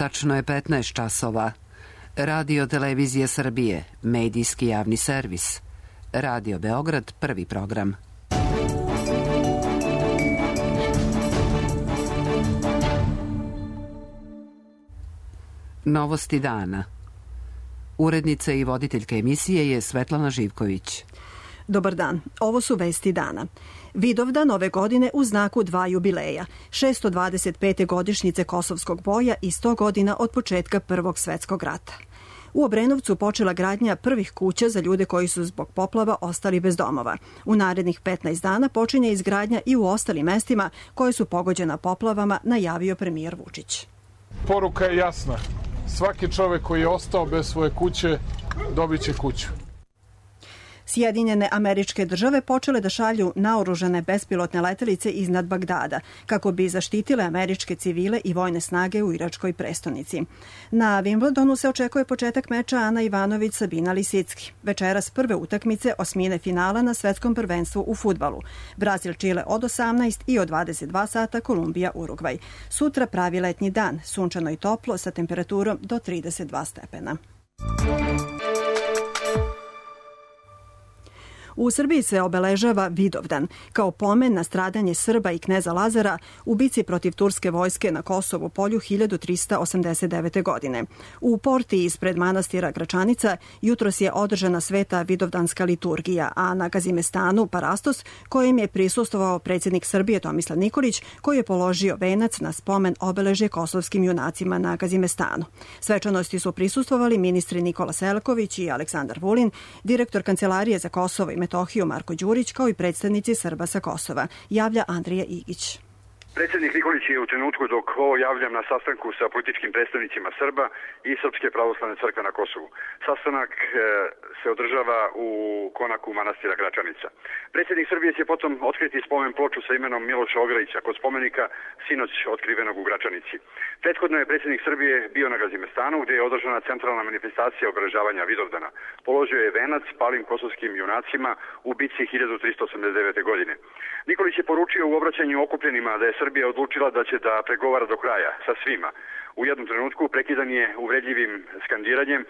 Tačno je 15 časova. Radio Televizija Srbije, medijski javni servis. Radio Beograd, prvi program. Novosti dana. Urednica i voditeljka emisije je Svetlana Živković. Dobar dan, ovo su vesti dana. Vidovdan ove godine u znaku dva jubileja, 625. godišnjice Kosovskog boja i 100 godina od početka Prvog svetskog rata. U Obrenovcu počela gradnja prvih kuća za ljude koji su zbog poplava ostali bez domova. U narednih 15 dana počinje izgradnja i u ostalim mestima koje su pogođena poplavama, najavio premijer Vučić. Poruka je jasna. Svaki čovek koji je ostao bez svoje kuće dobit će kuću. Sjedinjene Američke Države počele da šalju naoružane bespilotne letelice iznad Bagdada, kako bi zaštitile američke civile i vojne snage u iračkoj prestonici. Na Wimbledonu se očekuje početak meča Ana Ivanović-Sabina Lisicki. Večeras prve utakmice osmine finala na svetskom prvenstvu u fudbalu. Brazil-Čile od 18 i od 22 sata Kolumbija-Urugvaj. Sutra pravi letnji dan, sunčano i toplo sa temperaturom do 32 stepena. U Srbiji se obeležava Vidovdan kao pomen na stradanje Srba i kneza Lazara u bici protiv turske vojske na Kosovu polju 1389. godine. U porti ispred manastira Gračanica jutros je održana sveta vidovdanska liturgija, a na Gazimestanu Parastos, kojem je prisustvovao predsjednik Srbije Tomislav Nikolić, koji je položio venac na spomen obeležje kosovskim junacima na Gazimestanu. Svečanosti su prisustvovali ministri Nikola Selaković i Aleksandar Vulin, direktor Kancelarije za Kosovo i Metohiju Marko Đurić, kao i predstavnici Srba sa Kosova, javlja Andrija Igić. Predsjednik Nikolić je u trenutku dok ovo javljam na sastanku sa političkim predstavnicima Srba i Srpske pravoslavne crkve na Kosovu. Sastanak se održava u konaku manastira Gračanica. Predsjednik Srbije će potom otkriti spomen ploču sa imenom Miloša Ograjića kod spomenika sinoć otkrivenog u Gračanici. Prethodno je predsjednik Srbije bio na Gazimestanu, gdje je održana centralna manifestacija obeležavanja Vidovdana. Položio je venac palim kosovskim junacima u bici 1389. godine. Nikolić je poručio u obraćanju okupljenima da je Srbija odlučila da će da pregovara do kraja sa svima. U jednom trenutku prekidan je uvredljivim skandiranjem,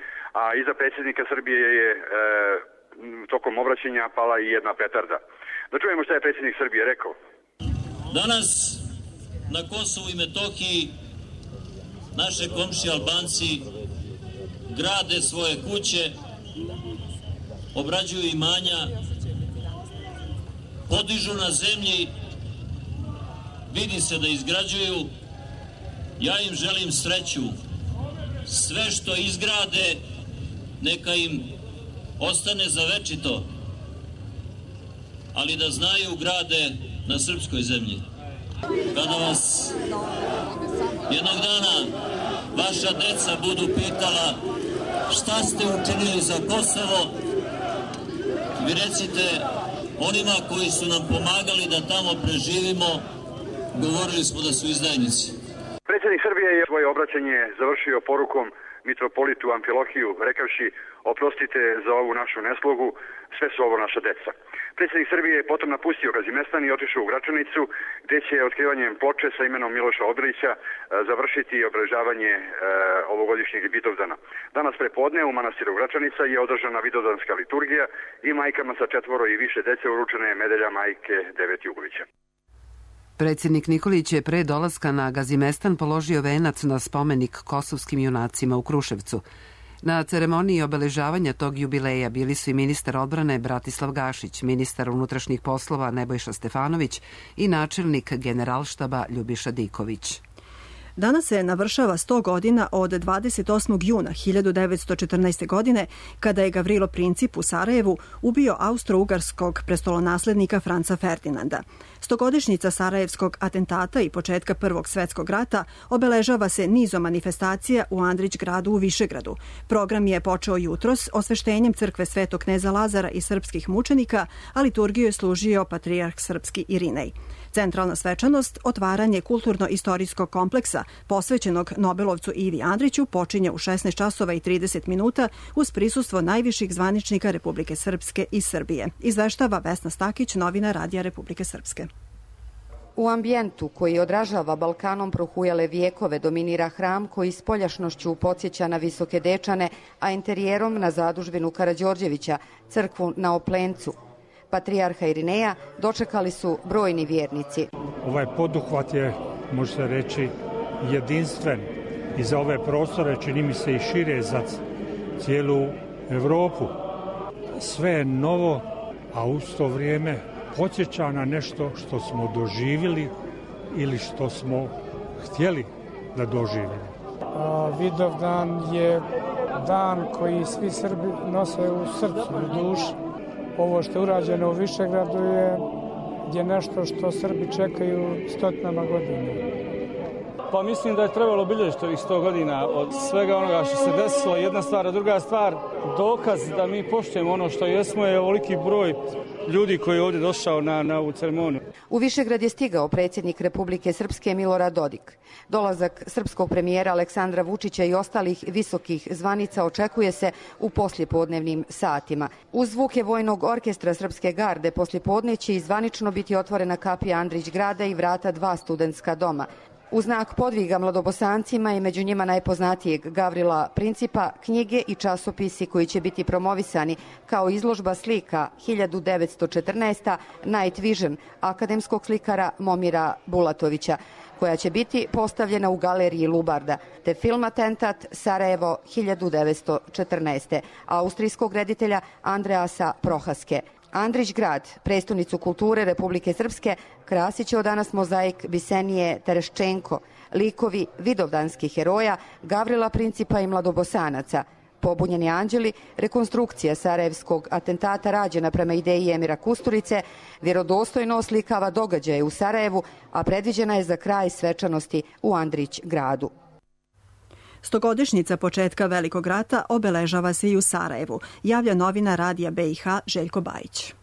a iza predsjednika Srbije je tokom obraćanja pala i jedna petarda. Da čujemo šta je predsjednik Srbije rekao. Danas na Kosovu i Metohiji naše komšije Albanci grade svoje kuće, obrađuju imanja, podižu na zemlji, vidi se da izgrađuju. Ja im želim sreću. Sve što izgrade, neka im ostane za večito, ali da znaju grade na srpskoj zemlji. Kada vas jednog dana vaša deca budu pitala šta ste učinili za Kosovo, vi recite onima koji su nam pomagali da tamo preživimo, govorili smo da su izdajnici. Predsjednik Srbije je svoje obraćanje završio porukom mitropolitu Amfilohiju, rekavši: oprostite za ovu našu neslogu, sve su ovo naša deca. Predsjednik Srbije je potom napustio Gazimestan i otišao u Gračanicu, gdje će otkrivanjem ploče sa imenom Miloša Obilića završiti obeležavanje ovogodišnjeg Vidovdana. Danas prepodne u manastiru Gračanica je održana vidovdanska liturgija i majkama sa 4 i više dece uručena je medalja majke Devet Jugovića. Predsjednik Nikolić je pre dolaska na Gazimestan položio venac na spomenik kosovskim junacima u Kruševcu. Na ceremoniji obeležavanja tog jubileja bili su i ministar odbrane Bratislav Gašić, ministar unutrašnjih poslova Nebojša Stefanović i načelnik Generalštaba Ljubiša Diković. Danas se navršava 100 godina od 28. juna 1914. godine, kada je Gavrilo Princip u Sarajevu ubio austro-ugarskog prestolonaslednika Franca Ferdinanda. Stogodišnjica sarajevskog atentata i početka Prvog svetskog rata obeležava se nizom manifestacija u Andrić gradu u Višegradu. Program je počeo jutros osveštenjem crkve Svetog kneza Lazara i srpskih mučenika, a liturgiju je služio patrijarh srpski Irinej. Centralna svečanost, otvaranje kulturno-istorijskog kompleksa posvećenog Nobelovcu Ivi Andriću, počinje u 16 časova i 30 minuta uz prisustvo najviših zvaničnika Republike Srpske i Srbije. Izveštava Vesna Stakić, novina Radija Republike Srpske. U ambijentu koji odražava Balkanom prohujale vijekove dominira hram koji spoljašnošću podsjeća na Visoke Dečane, a interijerom na zadužbinu Karađorđevića, crkvu na Oplencu. Patrijarha Irineja dočekali su brojni vjernici. Ovaj poduhvat je, može se reći, jedinstven i za ove prostore, čini mi se i šire za cijelu Evropu. Sve je novo, a u to vrijeme podsjeća na nešto što smo doživjeli ili što smo htjeli da doživimo. Vidovdan je dan koji svi Srbi nose u srcu i duši. Ovo što je urađeno u Višegradu je nešto što Srbi čekaju stotinama godina. Pa mislim da je trebalo obilježiti ovih 100 godina od svega onoga što se desilo. Jedna stvar, a druga stvar, dokaz da mi poštujemo ono što jesmo je ovoliki broj ljudi koji je ovdje došao na ovu ceremoniju. U Višegrad je stigao predsjednik Republike Srpske Milorad Dodik. Dolazak srpskog premijera Aleksandra Vučića i ostalih visokih zvanica očekuje se u poslijepodnevnim satima. Uz zvuke Vojnog orkestra Srpske garde poslijepodne će i zvanično biti otvorena kapija Andrić grada i vrata 2 studentska doma. U znak podviga mladobosancima i među njima najpoznatijeg Gavrila Principa, knjige i časopisi koji će biti promovisani kao izložba slika 1914. Night Vision akademskog slikara Momira Bulatovića, koja će biti postavljena u galeriji Lubarda, te film Atentat Sarajevo 1914. austrijskog reditelja Andreasa Prohaske. Andrić grad, prestonicu kulture Republike Srpske, krasit će od danas mozaik Bisenije Tereščenko, likovi vidovdanskih heroja, Gavrila Principa i mladobosanaca. Pobunjeni anđeli, rekonstrukcija sarajevskog atentata rađena prema ideji Emira Kusturice, vjerodostojno oslikava događaje u Sarajevu, a predviđena je za kraj svečanosti u Andrić gradu. 100-godišnjica početka Velikog rata obeležava se i u Sarajevu, javlja novinar Radija BiH Željko Bajić.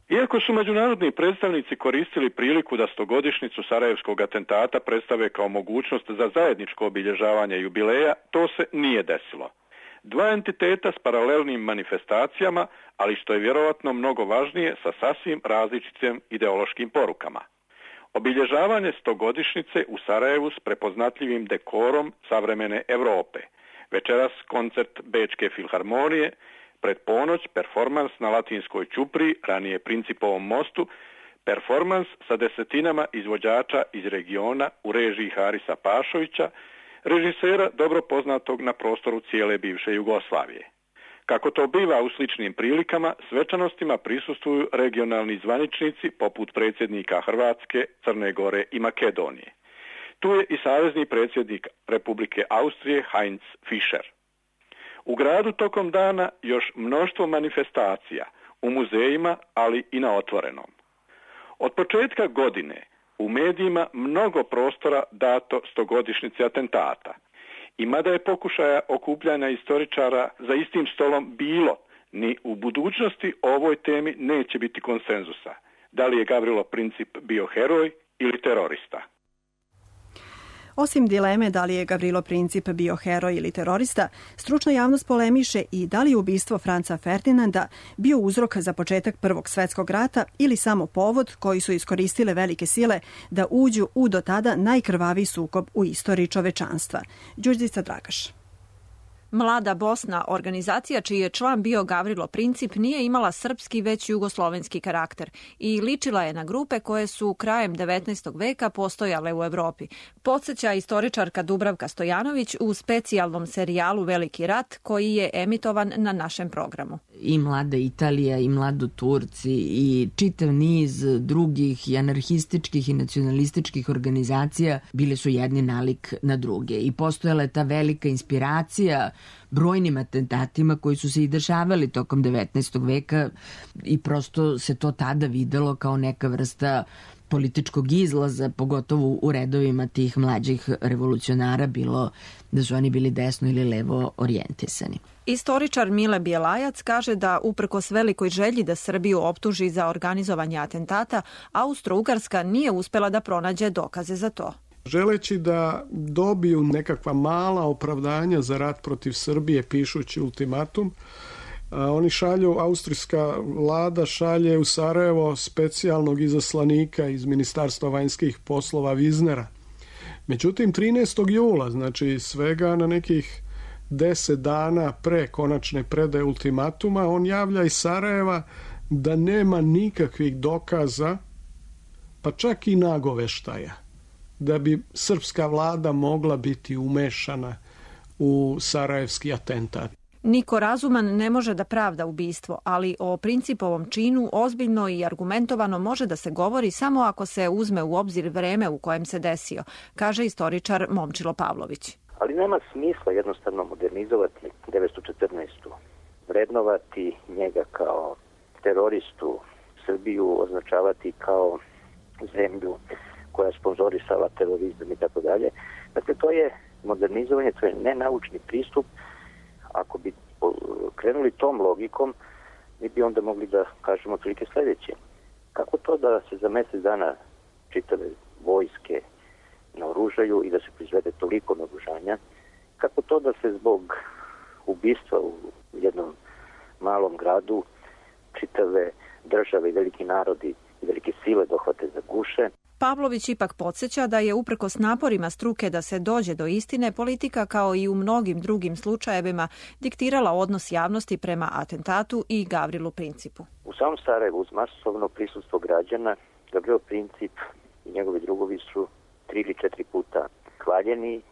Iako su međunarodni predstavnici koristili priliku da 100-godišnjicu sarajevskog atentata predstave kao mogućnost za zajedničko obilježavanje jubileja, to se nije desilo. Dva entiteta s paralelnim manifestacijama, ali što je vjerovatno mnogo važnije, sa sasvim različitim ideološkim porukama. Obilježavanje 100-godišnjice u Sarajevu s prepoznatljivim dekorom savremene Europe. Večeras koncert Bečke filharmonije, pred ponoć performans na Latinskoj ćupriji, ranije Principovom mostu, performans sa desetinama izvođača iz regiona u režiji Harisa Pašovića, režisera dobro poznatog na prostoru cijele bivše Jugoslavije. Kako to biva u sličnim prilikama, svečanostima prisustvuju regionalni zvaničnici poput predsjednika Hrvatske, Crne Gore i Makedonije. Tu je i savezni predsjednik Republike Austrije Heinz Fischer. U gradu tokom dana još mnoštvo manifestacija, u muzejima, ali i na otvorenom. Od početka godine u medijima mnogo prostora dato 100-godišnjici atentata. I mada je pokušaja okupljanja istoričara za istim stolom bilo, ni u budućnosti o ovoj temi neće biti konsenzusa. Da li je Gavrilo Princip bio heroj ili terorista? Osim dileme da li je Gavrilo Princip bio heroj ili terorista, stručna javnost polemiše i da li je ubistvo Franca Ferdinanda bio uzrok za početak Prvog svjetskog rata ili samo povod koji su iskoristile velike sile da uđu u do tada najkrvaviji sukob u istoriji čovečanstva. Đurđica Dragaš. Mlada Bosna, organizacija čiji je član bio Gavrilo Princip, nije imala srpski već jugoslovenski karakter i ličila je na grupe koje su krajem 19. veka postojale u Evropi. Podsjeća istoričarka Dubravka Stojanović u specijalnom serijalu Veliki rat koji je emitovan na našem programu. I Mlada Italija, i Mlado Turci, i čitav niz drugih i anarhističkih i nacionalističkih organizacija bile su jedni nalik na druge i postojala je ta velika inspiracija brojnim atentatima koji su se i dešavali tokom 19. veka i prosto se to tada videlo kao neka vrsta političkog izlaza, pogotovo u redovima tih mlađih revolucionara, bilo da su oni bili desno ili levo orijentisani. Istoričar Mile Bjelajac kaže da uprkos velikoj želji da Srbiju optuži za organizovanje atentata, Austro-Ugarska nije uspela da pronađe dokaze za to. Želeći da dobiju nekakva mala opravdanja za rat protiv Srbije pišući ultimatum, Oni šalju, austrijska vlada šalje u Sarajevo specijalnog izaslanika iz Ministarstva vanjskih poslova Wiesnera. Međutim, 13. jula, znači svega na nekih 10 dana pre konačne predaje ultimatuma, on javlja iz Sarajeva da nema nikakvih dokaza, pa čak i nagoveštaja, da bi srpska vlada mogla biti umešana u sarajevski atentat. Niko razuman ne može da pravda ubistvo, ali o Principovom činu ozbiljno i argumentovano može da se govori samo ako se uzme u obzir vreme u kojem se desio, kaže istoričar Momčilo Pavlović. Ali nema smisla jednostavno modernizovati 1914. Vrednovati njega kao teroristu, Srbiju označavati kao zemlju koja je sponzorisala terorizam i tako dalje. Dakle, to je modernizovanje, to je nenaučni pristup. Ako bi krenuli tom logikom, mi bi onda mogli da kažemo otprilike sledeće. Kako to da se za mesec dana čitave vojske naoružaju i da se proizvede toliko naoružanja? Kako to da se zbog ubistva u jednom malom gradu čitave države i veliki narodi i velike sile dohvate za guše? Pavlović ipak podsjeća da je uprkos naporima struke da se dođe do istine, politika kao i u mnogim drugim slučajevima diktirala odnos javnosti prema atentatu i Gavrilu Principu. U samom Sarajevu uz masovno prisustvo građana Gavrilo Princip i njegovi drugovi su 3 ili 4 puta hvaljeni,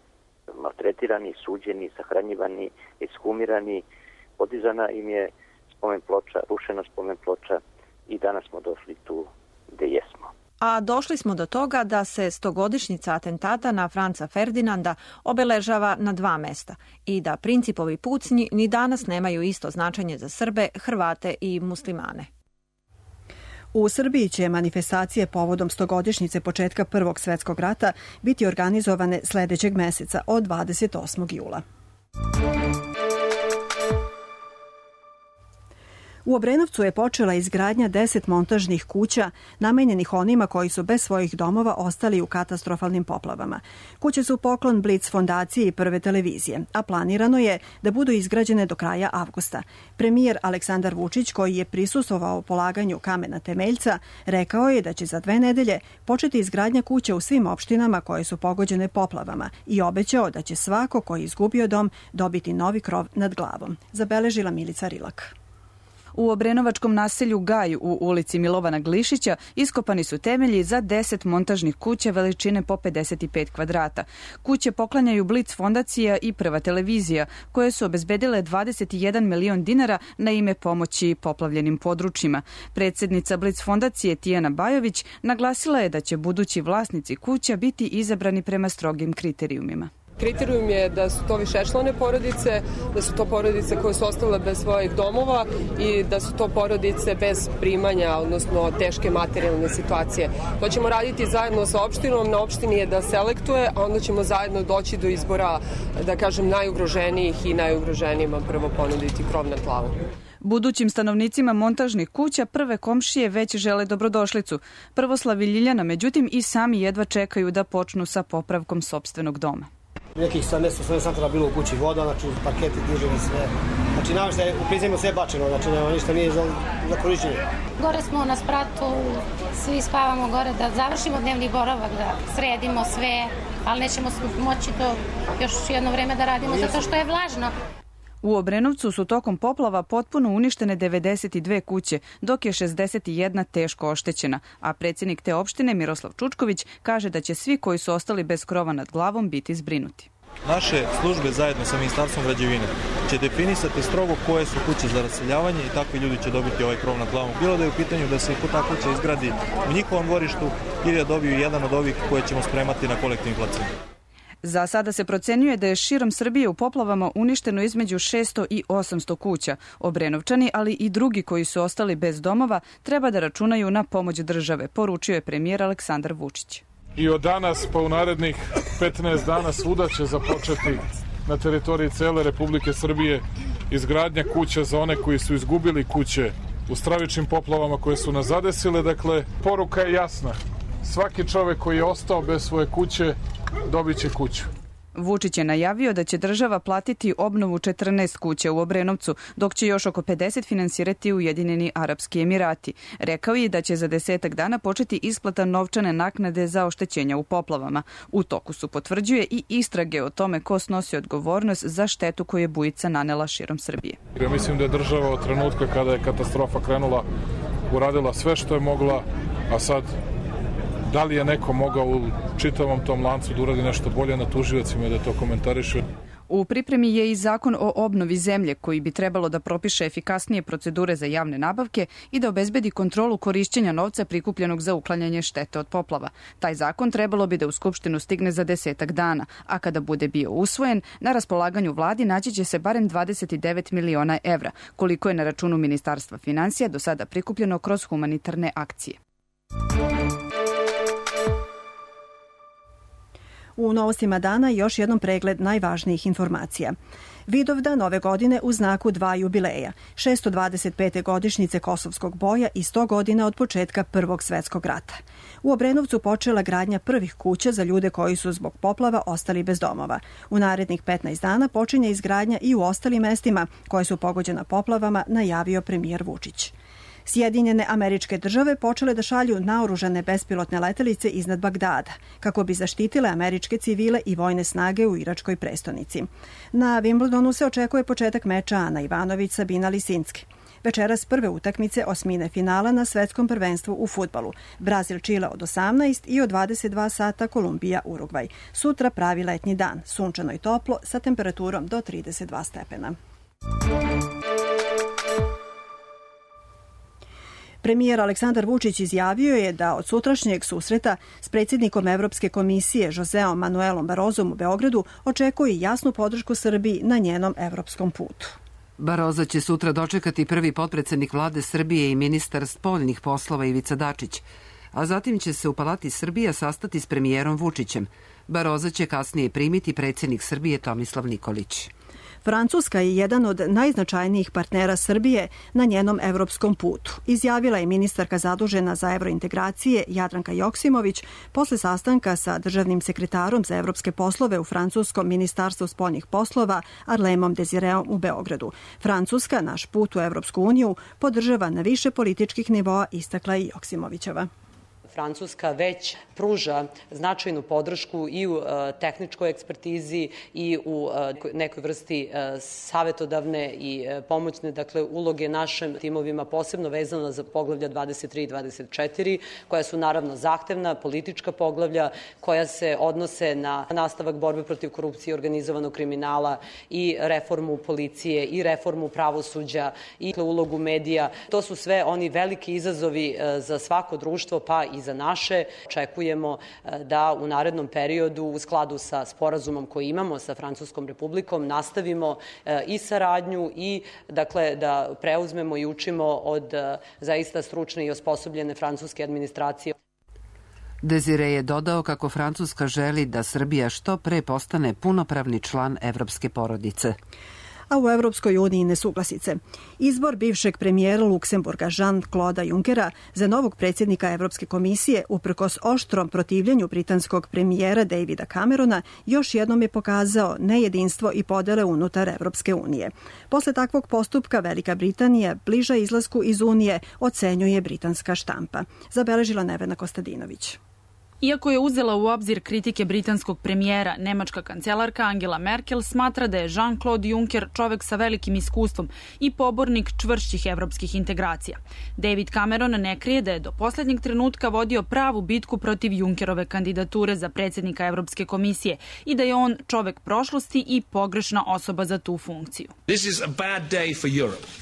maltretirani, suđeni, sahranjivani, ekshumirani, podizana im je spomen ploča, rušena spomen ploča i danas smo došli tu gde jesmo. A došli smo do toga da se 100-godišnjica atentata na Franca Ferdinanda obeležava na 2 mesta i da Principovi pucnji ni danas nemaju isto značenje za Srbe, Hrvate i muslimane. U Srbiji će manifestacije povodom 100-godišnjice početka Prvog svjetskog rata biti organizovane sledećeg meseca od 28. jula. U Obrenovcu je počela izgradnja 10 montažnih kuća namenjenih onima koji su bez svojih domova ostali u katastrofalnim poplavama. Kuće su poklon Blic fondacije i Prve televizije, a planirano je da budu izgrađene do kraja avgusta. Premijer Aleksandar Vučić, koji je prisustvovao polaganju kamena temeljca, rekao je da će za 2 nedelje početi izgradnja kuća u svim opštinama koje su pogođene poplavama i obećao da će svako koji je izgubio dom dobiti novi krov nad glavom. Zabeležila Milica Rilak. U obrenovačkom naselju Gaj u ulici Milovana Glišića iskopani su temelji za 10 montažnih kuća veličine po 55 kvadrata. Kuće poklanjaju Blic fondacija i Prva televizija, koje su obezbedile 21 milion dinara na ime pomoći poplavljenim područjima. Predsjednica Blic fondacije Tijana Bajović naglasila je da će budući vlasnici kuća biti izabrani prema strogim kriterijumima. Kriterijum je da su to višečlane porodice, da su to porodice koje su ostale bez svojih domova i da su to porodice bez primanja, odnosno teške materijalne situacije. To ćemo raditi zajedno sa opštinom, na opštini je da selektuje, a onda ćemo zajedno doći do izbora, da kažem, najugroženijih i najugroženijima prvo ponuditi krov nad glavom. Budućim stanovnicima montažnih kuća prve komšije već žele dobrodošlicu. Prvoslav i Ljiljana, međutim, i sami jedva čekaju da počnu sa popravkom sopstvenog doma. Nekih 70 santara bilo u kući voda, znači parketi, diževi, sve. Znači namještaj u prizemlju sve bačeno, znači nema ništa nije za korišćenje. Gore smo na spratu, svi spavamo gore da završimo dnevni boravak, da sredimo sve, ali nećemo moći to još jedno vreme da radimo zato što je vlažno. U Obrenovcu su tokom poplava potpuno uništene 92 kuće, dok je 61 teško oštećena, a predsjednik te opštine Miroslav Čučković kaže da će svi koji su ostali bez krova nad glavom biti zbrinuti. Naše službe zajedno sa Ministarstvom građevine će definisati strogo koje su kuće za raseljavanje i takvi ljudi će dobiti ovaj krov nad glavom. Bilo da je u pitanju da se i ta kuća izgradi u njihovom dvorištu ili da dobiju jedan od ovih koje ćemo spremati na kolektivni placin. Za sada se procenjuje da je širom Srbije u poplavama uništeno između 600 i 800 kuća. Obrenovčani, ali i drugi koji su ostali bez domova, treba da računaju na pomoć države, poručio je premijer Aleksandar Vučić. I od danas pa u narednih 15 dana svuda će započeti na teritoriji cele Republike Srbije izgradnja kuća za one koji su izgubili kuće u stravičnim poplavama koje su nas zadesile. Dakle, poruka je jasna. Svaki čovek koji je ostao bez svoje kuće dobit će kuću. Vučić je najavio da će država platiti obnovu 14 kuća u Obrenovcu, dok će još oko 50 finansirati Ujedinjeni Arapski Emirati. Rekao je da će za 10 dana početi isplata novčane naknade za oštećenja u poplavama. U toku su, potvrđuje, i istrage o tome ko snosi odgovornost za štetu koju je bujica nanela širom Srbije. Ja mislim da je država od trenutka kada je katastrofa krenula uradila sve što je mogla, a sad da li je neko mogao u čitavom tom lancu da uradi nešto bolje, na tužiocima da to komentarišu. U pripremi je i zakon o obnovi zemlje koji bi trebalo da propiše efikasnije procedure za javne nabavke i da obezbedi kontrolu korišćenja novca prikupljenog za uklanjanje štete od poplava. Taj zakon trebalo bi da u Skupštinu stigne za 10 dana, a kada bude bio usvojen, na raspolaganju vladi naći će se barem 29 miliona evra, koliko je na računu Ministarstva finansija do sada prikupljeno kroz humanitarne akcije. U novostima dana još jednom pregled najvažnijih informacija. Vidovdan ove godine u znaku 2 jubileja, 625. godišnjice Kosovskog boja i 100 godina od početka Prvog svetskog rata. U Obrenovcu počela gradnja prvih kuća za ljude koji su zbog poplava ostali bez domova. U narednih 15 dana počinje izgradnja i u ostalim mestima koje su pogođena poplavama, najavio premijer Vučić. Sjedinjene Američke Države počele da šalju naoružane bespilotne letelice iznad Bagdada, kako bi zaštitile američke civile i vojne snage u iračkoj prestonici. Na Wimbledonu se očekuje početak meča Ana Ivanović-Sabina Lisinski. Večeras prve utakmice osmine finala na svetskom prvenstvu u fudbalu. Brazil-Čile od 18 i od 22 sata Kolumbija-Urugvaj. Sutra pravi letnji dan, sunčano i toplo sa temperaturom do 32 stepena. Premijer Aleksandar Vučić izjavio je da od sutrašnjeg susreta s predsjednikom Evropske komisije Joseom Manuelom Barozom u Beogradu očekuje jasnu podršku Srbiji na njenom evropskom putu. Baroza će sutra dočekati prvi potpredsednik vlade Srbije i ministar spoljnih poslova Ivica Dačić, a zatim će se u Palati Srbija sastati s premijerom Vučićem. Baroza će kasnije primiti predsjednik Srbije Tomislav Nikolić. Francuska je jedan od najznačajnijih partnera Srbije na njenom evropskom putu, izjavila je ministarka zadužena za evrointegracije Jadranka Joksimović posle sastanka sa državnim sekretarom za evropske poslove u francuskom ministarstvu spoljnih poslova Arlemom Desireom u Beogradu. Francuska naš put u Evropsku uniju podržava na više političkih nivoa, istakla je Joksimovićeva. Francuska već pruža značajnu podršku i u tehničkoj ekspertizi i u nekoj vrsti savetodavne i pomoćne, uloge našim timovima, posebno vezano za poglavlja 23 i 24, koja su naravno zahtevna politička poglavlja, koja se odnose na nastavak borbe protiv korupcije i organizovanog kriminala i reformu policije i reformu pravosuđa i ulogu medija. To su sve oni veliki izazovi za svako društvo, pa i za naše. Očekujemo da u narednom periodu u skladu sa sporazumom koji imamo sa Francuskom republikom nastavimo i saradnju i da preuzmemo i učimo od zaista stručne i osposobljene francuske administracije. Desire je dodao kako Francuska želi da Srbija što pre postane punopravni član evropske porodice. A u Evropskoj uniji nesuglasice. Izbor bivšeg premijera Luksemburga Jean-Claude Junckera za novog predsjednika Evropske komisije uprkos oštrom protivljenju britanskog premijera Davida Camerona još jednom je pokazao nejedinstvo i podele unutar Evropske unije. Posle takvog postupka Velika Britanija bliža izlasku iz Unije, ocenjuje britanska štampa. Zabeležila Nevena Kostadinović. Iako je uzela u obzir kritike britanskog premijera, nemačka kancelarka Angela Merkel smatra da je Jean-Claude Juncker čovek sa velikim iskustvom i pobornik čvršćih evropskih integracija. David Cameron ne krije da je do poslednjeg trenutka vodio pravu bitku protiv Junckerove kandidature za predsjednika Evropske komisije i da je on čovek prošlosti i pogrešna osoba za tu funkciju.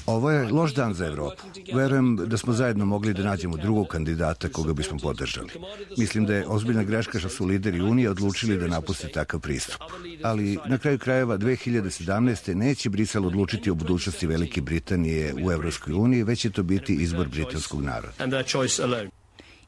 Ovo je loš dan za Evropu. Verujem da smo zajedno mogli da nađemo drugog kandidata koga bismo podržali. Mislim da je ozbiljna greška što su lideri Unije odlučili da napuste takav pristup. Ali na kraju krajeva 2017. neće Brisel odlučiti o budućnosti Velike Britanije u Evropskoj uniji, već će to biti izbor britanskog naroda.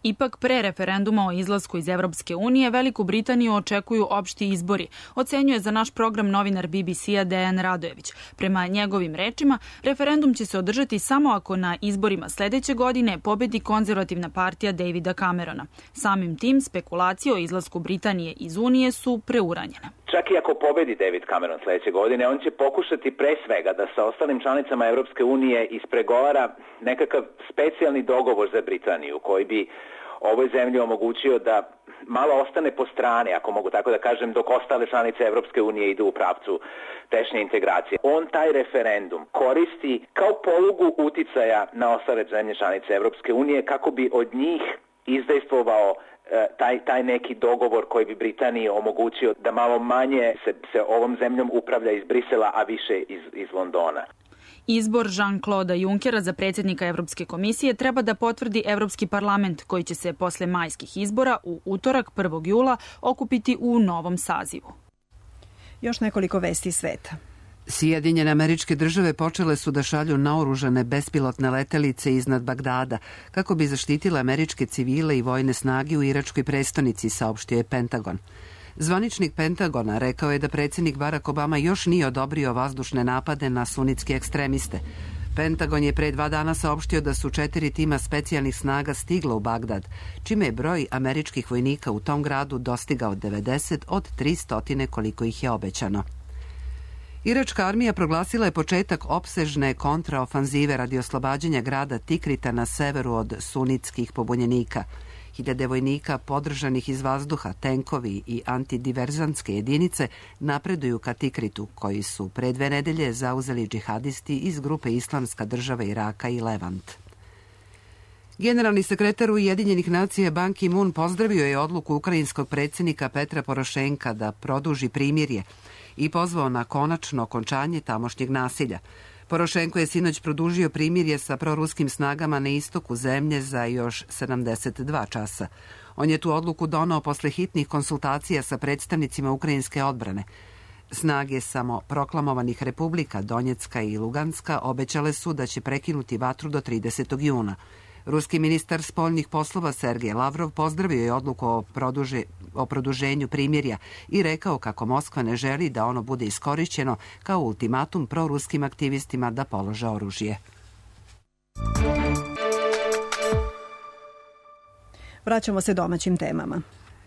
Ipak, pre referenduma o izlasku iz Evropske unije, Veliku Britaniju očekuju opšti izbori, ocenjuje za naš program novinar BBC-a Dejan Radojević. Prema njegovim rečima, referendum će se održati samo ako na izborima sledeće godine pobedi konzervativna partija Davida Camerona. Samim tim, spekulacije o izlasku Britanije iz Unije su preuranjene. čak i ako pobedi David Cameron sledeće godine, on će pokušati pre svega da sa ostalim članicama Evropske unije ispregovara nekakav specijalni dogovor za Britaniju koji bi ovoj zemlji omogućio da malo ostane po strane, ako mogu tako da kažem, dok ostale članice Evropske unije idu u pravcu tešnje integracije. On taj referendum koristi kao polugu uticaja na ostale zemlje članice Evropske unije kako bi od njih izdejstvovao taj neki dogovor koji bi Britaniji omogućio da malo manje se ovom zemljom upravlja iz Brisela, a više iz Londona. Izbor Jean-Claude Junckera za predsjednika Evropske komisije treba da potvrdi Evropski parlament, koji će se posle majskih izbora u utorak 1. jula okupiti u novom sazivu. Još nekoliko vesti sveta. Sjedinjene Američke Države počele su da šalju naoružane bespilotne letelice iznad Bagdada kako bi zaštitile američke civile i vojne snage u iračkoj prestonici, saopštio je Pentagon. Zvaničnik Pentagona rekao je da predsjednik Barack Obama još nije odobrio vazdušne napade na sunitske ekstremiste. Pentagon je pre 2 dana saopštio da su 4 tima specijalnih snaga stigla u Bagdad, čime je broj američkih vojnika u tom gradu dostigao 90 od 300 koliko ih je obećano. Iračka armija proglasila je početak opsežne kontraofanzive radi oslobađanja grada Tikrita na severu od sunitskih pobunjenika. Hiljade vojnika podržanih iz vazduha, tenkovi i antidiverzantske jedinice napreduju ka Tikritu, koji su pre 2 nedelje zauzeli džihadisti iz grupe Islamska država Iraka i Levant. Generalni sekretar Ujedinjenih nacija Ban Ki-moon pozdravio je odluku ukrajinskog predsjednika Petra Porošenka da produži primirje i pozvao na konačno okončanje tamošnjeg nasilja. Porošenko je sinoć produžio primirje sa proruskim snagama na istoku zemlje za još 72 časa. On je tu odluku donao posle hitnih konsultacija sa predstavnicima ukrajinske odbrane. Snage samo proklamovanih republika Donjecka i Luganska obećale su da će prekinuti vatru do 30. juna. Ruski ministar spoljnih poslova Sergej Lavrov pozdravio je odluku o produženju primirja i rekao kako Moskva ne želi da ono bude iskorišćeno kao ultimatum proruskim aktivistima da polože oružje. Vraćamo se domaćim temama.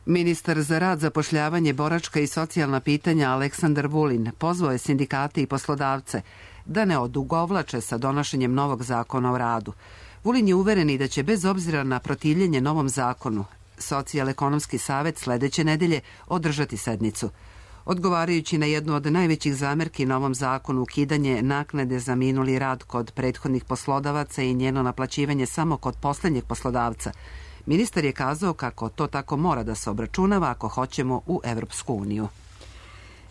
Ministar za rad, zapošljavanje, boračka i socijalna pitanja Aleksandar Vulin pozvao je sindikate i poslodavce da ne odugovlače sa donošenjem novog zakona o radu. Vulin je uveren i da će bez obzira na protivljenje novom zakonu Socijal-ekonomski savet sledeće nedelje održati sednicu. Odgovarajući na jednu od najvećih zamerki novom zakonu, ukidanje naknade za minuli rad kod prethodnih poslodavaca i njeno naplaćivanje samo kod poslednjeg poslodavca, ministar je kazao kako to tako mora da se obračunava ako hoćemo u Evropsku uniju.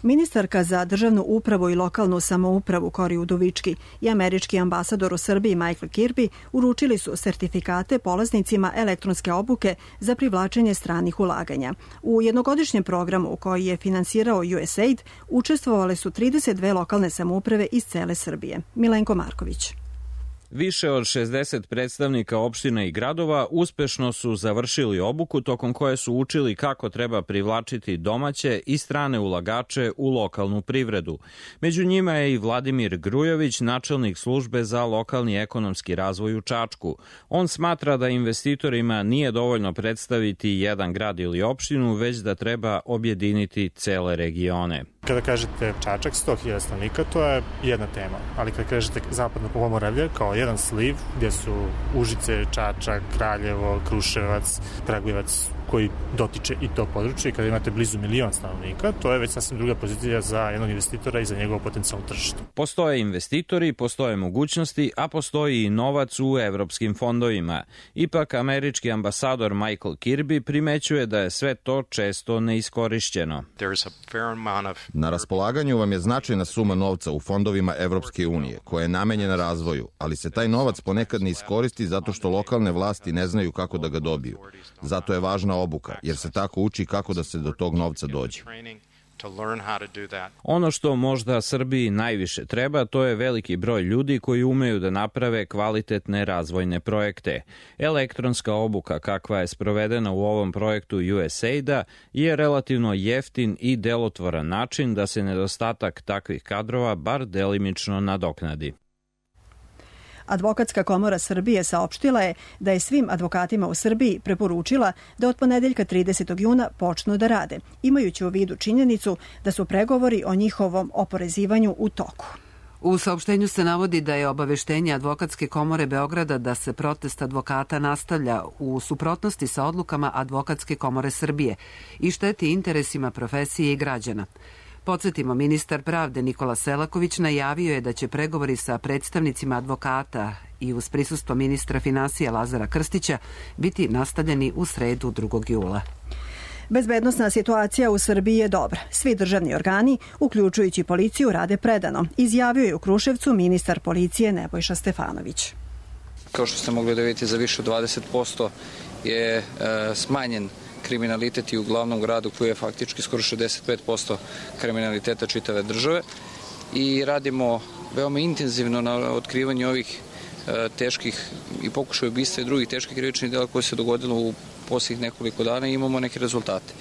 Ministarka za državnu upravu i lokalnu samoupravu Kori Udovički i američki ambasador u Srbiji Michael Kirby uručili su sertifikate polaznicima elektronske obuke za privlačenje stranih ulaganja. U jednogodišnjem programu koji je finansirao USAID učestvovale su 32 lokalne samouprave iz cele Srbije. Milenko Marković. Više od 60 predstavnika opština i gradova uspešno su završili obuku tokom koje su učili kako treba privlačiti domaće i strane ulagače u lokalnu privredu. Među njima je i Vladimir Grujović, načelnik službe za lokalni ekonomski razvoj u Čačku. On smatra da investitorima nije dovoljno predstaviti jedan grad ili opštinu, već da treba objediniti cele regione. Kada kažete Čačak, 100.000 stanovnika, to je jedna tema, ali kada kažete zapadno Pomoravlje kao jedan sliv gdje su Užice, Čačak, Kraljevo, Kruševac, Kragujevac koji dotiče i to područje i kada imate blizu 1 milion stanovnika, to je već sasvim druga pozicija za jednog investitora i za njegovo potencijalno tržište. Postoje investitori, postoje mogućnosti, a postoji i novac u evropskim fondovima. Ipak, američki ambasador Michael Kirby primećuje da je sve to često neiskorišćeno. Na raspolaganju vam je značajna suma novca u fondovima Evropske unije, koja je namenjena razvoju, ali se taj novac ponekad ne iskoristi zato što lokalne vlasti ne znaju kako da ga dobiju. Zato je važna obuka, jer se tako uči kako da se do tog novca dođe. Ono što možda Srbiji najviše treba, to je veliki broj ljudi koji umeju da naprave kvalitetne razvojne projekte. Elektronska obuka, kakva je sprovedena u ovom projektu USAID-a, je relativno jeftin i delotvoran način da se nedostatak takvih kadrova bar delimično nadoknadi. Advokatska komora Srbije saopštila je da je svim advokatima u Srbiji preporučila da od ponedeljka 30. juna počnu da rade, imajući u vidu činjenicu da su pregovori o njihovom oporezivanju u toku. U saopštenju se navodi da je obaveštenje Advokatske komore Beograda da se protest advokata nastavlja u suprotnosti sa odlukama Advokatske komore Srbije i šteti interesima profesije i građana. Podsjetimo, ministar pravde Nikola Selaković najavio je da će pregovori sa predstavnicima advokata i uz prisustvo ministra finansija Lazara Krstića biti nastavljeni u sredu 2. jula. Bezbednosna situacija u Srbiji je dobra. Svi državni organi, uključujući policiju, rade predano, izjavio je u Kruševcu ministar policije Nebojša Stefanović. Kao što ste mogli da vidite, za više od 20% je smanjen kriminalitet i u glavnom gradu koji je faktički skoro 65% kriminaliteta čitave države i radimo veoma intenzivno na otkrivanju ovih teških i pokušaja ubistva i drugih teških krivičnih dela koje se dogodilo u posljednjih nekoliko dana i imamo neke rezultate.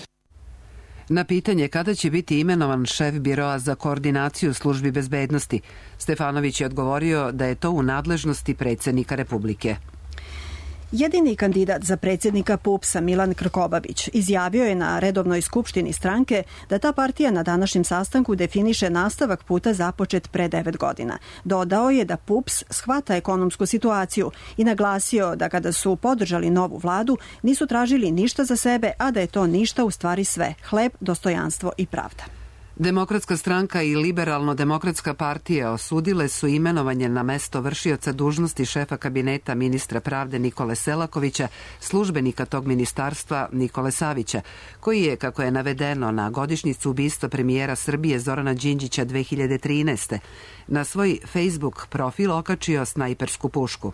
Na pitanje kada će biti imenovan šef biroa za koordinaciju službi bezbednosti, Stefanović je odgovorio da je to u nadležnosti predsjednika Republike. Jedini kandidat za predsjednika PUPS-a Milan Krkobabić izjavio je na redovnoj skupštini stranke da ta partija na današnjem sastanku definiše nastavak puta započet pre 9 godina. Dodao je da PUPS shvata ekonomsku situaciju i naglasio da kada su podržali novu vladu nisu tražili ništa za sebe, a da je to ništa u stvari sve, hleb, dostojanstvo i pravda. Demokratska stranka i Liberalno-demokratska partija osudile su imenovanje na mesto vršioca dužnosti šefa kabineta ministra pravde Nikole Selakovića, službenika tog ministarstva Nikole Savića, koji je, kako je navedeno na godišnjicu ubistva premijera Srbije Zorana Đinđića 2013. na svoj Facebook profil okačio snajpersku pušku.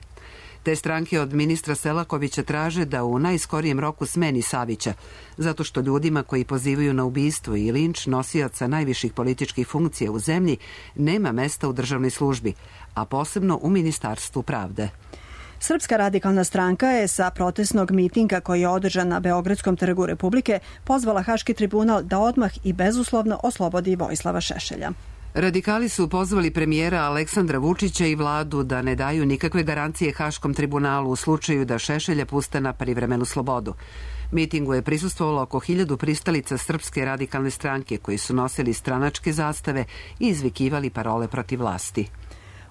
Te stranke od ministra Selakovića traže da u najskorijem roku smeni Savića, zato što ljudima koji pozivaju na ubistvo i linč nosioca najviših političkih funkcija u zemlji nema mesta u državnoj službi, a posebno u Ministarstvu pravde. Srpska radikalna stranka je sa protestnog mitinga koji je održan na Beogradskom trgu Republike pozvala Haški tribunal da odmah i bezuslovno oslobodi Vojislava Šešelja. Radikali su pozvali premijera Aleksandra Vučića i vladu da ne daju nikakve garancije Haškom tribunalu u slučaju da Šešelja puste na privremenu slobodu. Mitingu je prisustvovalo oko 1000 pristalica Srpske radikalne stranke koji su nosili stranačke zastave i izvikivali parole protiv vlasti.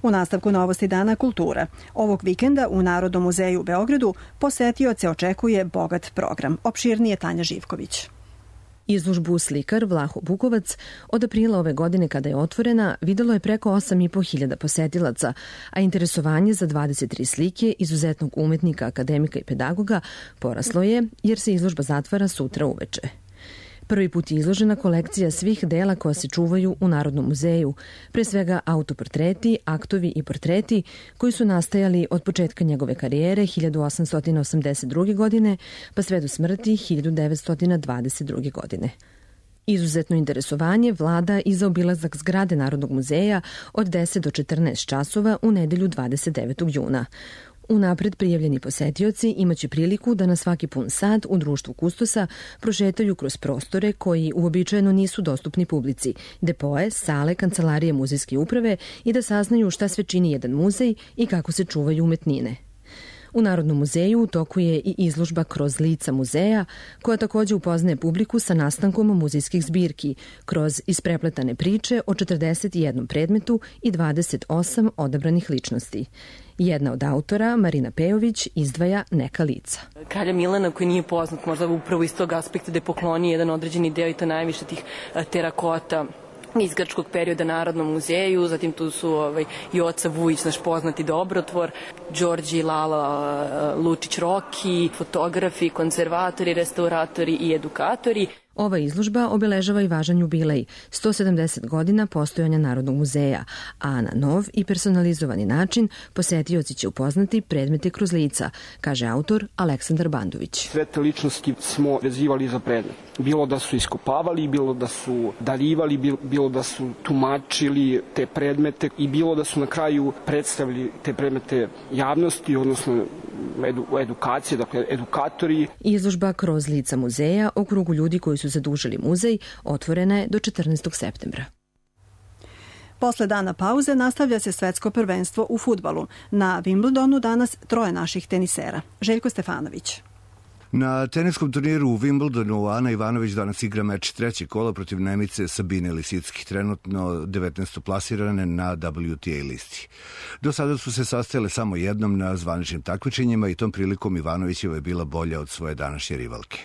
U nastavku novosti Dana kultura. Ovog vikenda u Narodnom muzeju u Beogradu posetioce očekuje bogat program. Opširnije Tanja Živković. Izložbu slikar Vlaho Bukovac od aprila ove godine kada je otvorena videlo je preko 8.500 posetilaca, a interesovanje za 23 slike izuzetnog umetnika, akademika i pedagoga poraslo je jer se izložba zatvara sutra uveče. Prvi put je izložena kolekcija svih dela koja se čuvaju u Narodnom muzeju, pre svega autoportreti, aktovi i portreti koji su nastajali od početka njegove karijere 1882. godine pa sve do smrti 1922. godine. Izuzetno interesovanje vlada i za obilazak zgrade Narodnog muzeja od 10 do 14 časova u nedelju 29. juna. Unapred prijavljeni posetioci imaće priliku da na svaki pun sat u društvu kustosa prošetaju kroz prostore koji uobičajeno nisu dostupni publici, depoe, sale, kancelarije muzejske uprave i da saznaju šta sve čini jedan muzej i kako se čuvaju umetnine. U Narodnom muzeju u toku je i izložba Kroz lica muzeja, koja takođe upoznaje publiku sa nastankom muzejskih zbirki, kroz isprepletane priče o 41 predmetu i 28 odabranih ličnosti. Jedna od autora, Marina Pejović, izdvaja neka lica. Kralja Milana, koji nije poznat možda upravo iz tog aspekta da je poklonio jedan određeni deo i to najviše tih terakota iz grčkog perioda Narodnom muzeju, zatim tu su Joca Vujić, naš poznati dobrotvor, Đorđe Lala Lučić Roki, fotografi, konzervatori, restauratori i edukatori. Ova izložba obeležava i važan jubilej, 170 godina postojanja Narodnog muzeja, a na nov i personalizovani način posetioci će upoznati predmete kroz lica, kaže autor Aleksandar Bandović. Sve te ličnosti smo vezivali za predmet. Bilo da su iskopavali, bilo da su darivali, bilo da su tumačili te predmete i bilo da su na kraju predstavili te predmete javnosti, odnosno edukacije, dakle edukatori. Izložba Kroz lica muzeja o krugu ljudi koji su zadužili muzej otvorena je do 14. septembra. Posle dana pauze nastavlja se svetsko prvenstvo u fudbalu. Na Wimbledonu danas 3 naših tenisera. Željko Stefanović. Na teniskom turniru u Wimbledonu Ana Ivanović danas igra meč 3. kola protiv Nemice Sabine Lisicki, trenutno 19. plasirane na WTA listi. Do sada su se sastajale samo jednom na zvaničnim takmičenjima i tom prilikom Ivanovićeva je bila bolja od svoje današnje rivalke.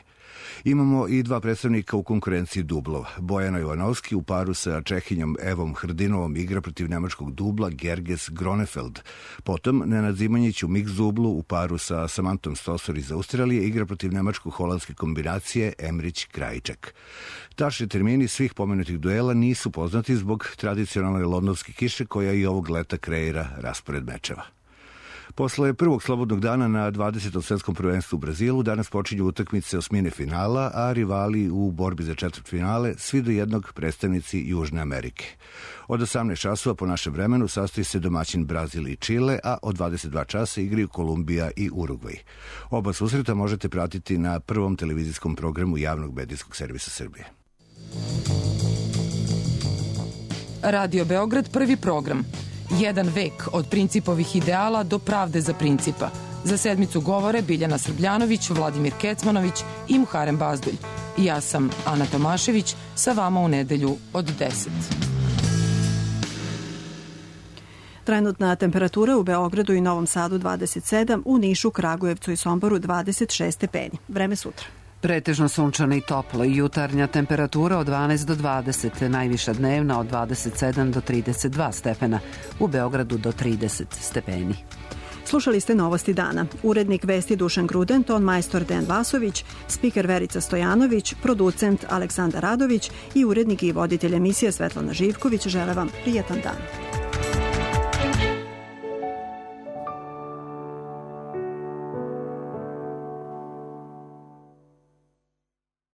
Imamo i 2 predstavnika u konkurenciji dublova. Bojana Jovanovski u paru sa Čehinjom Evom Hrdinovom igra protiv nemačkog dubla Gerges Gronefeld. Potom Nenad Zimonjić u mix dublu u paru sa Samantom Stosur iz Australije igra protiv nemačko-holandske kombinacije Emrić-Krajčak. Tačni termini svih pomenutih duela nisu poznati zbog tradicionalne londonske kiše koja i ovog leta kreira raspored mečeva. Posle prvog slobodnog dana na 20. svetskom prvenstvu u Brazilu danas počinju utakmice osmine finala, a rivali u borbi za četvrtfinale svi do jednog predstavnici Južne Amerike. Od 18 časova po našem vremenu sastoji se domaćin Brazil i Čile, a od 22 časa igraju Kolumbija i Urugvaj. Oba susreta možete pratiti na prvom televizijskom programu javnog medijskog servisa Srbije. Radio Beograd, prvi program. 1 vek od principovih ideala do pravde za principa. Za sedmicu govore Biljana Srbljanović, Vladimir Kecmanović i Muharem Bazdulj. Ja sam Ana Tomašević, sa vama u nedelju od 10. Trenutna temperatura u Beogradu i Novom Sadu 27, u Nišu, Kragujevcu i Somboru 26 stepeni. Vreme sutra. Pretežno sunčano i toplo, jutarnja temperatura od 12 do 20, najviša dnevna od 27 do 32 stepena, u Beogradu do 30 stepeni. Slušali ste Novosti dana. Urednik vesti Dušan Gruden, ton majstor Dejan Vasović, spiker Verica Stojanović, producent Aleksandar Radović i urednik i voditelj emisije Svetlana Živković žele vam prijetan dan.